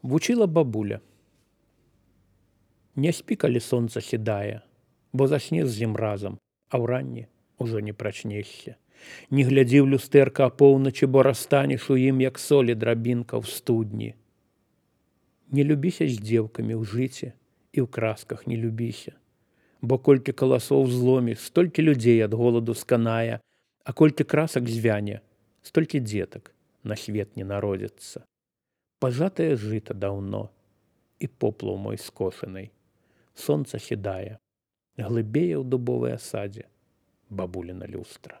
Вучила бабуля. Не спі, калі сонца сідае, бо заснеш з ім разам, а ўранні ўжо не прачнешся. Не глядзі ў люстэрка апоўначы, бо растанеш у ім, як солі драбінка ў студні. Не любіся з дзеўкамі ў жыце і ў красках не любіся, бо колькі каласоў зломіш, столькі людзей ад голаду сканае, а колькі красак звяне, столькі дзетак на свет не народзяцца. Пажатае жыта даўно, і поплаў мой скошанай. Сонца сідае, глыбее ў дубовай асадзе бабуліна люстра.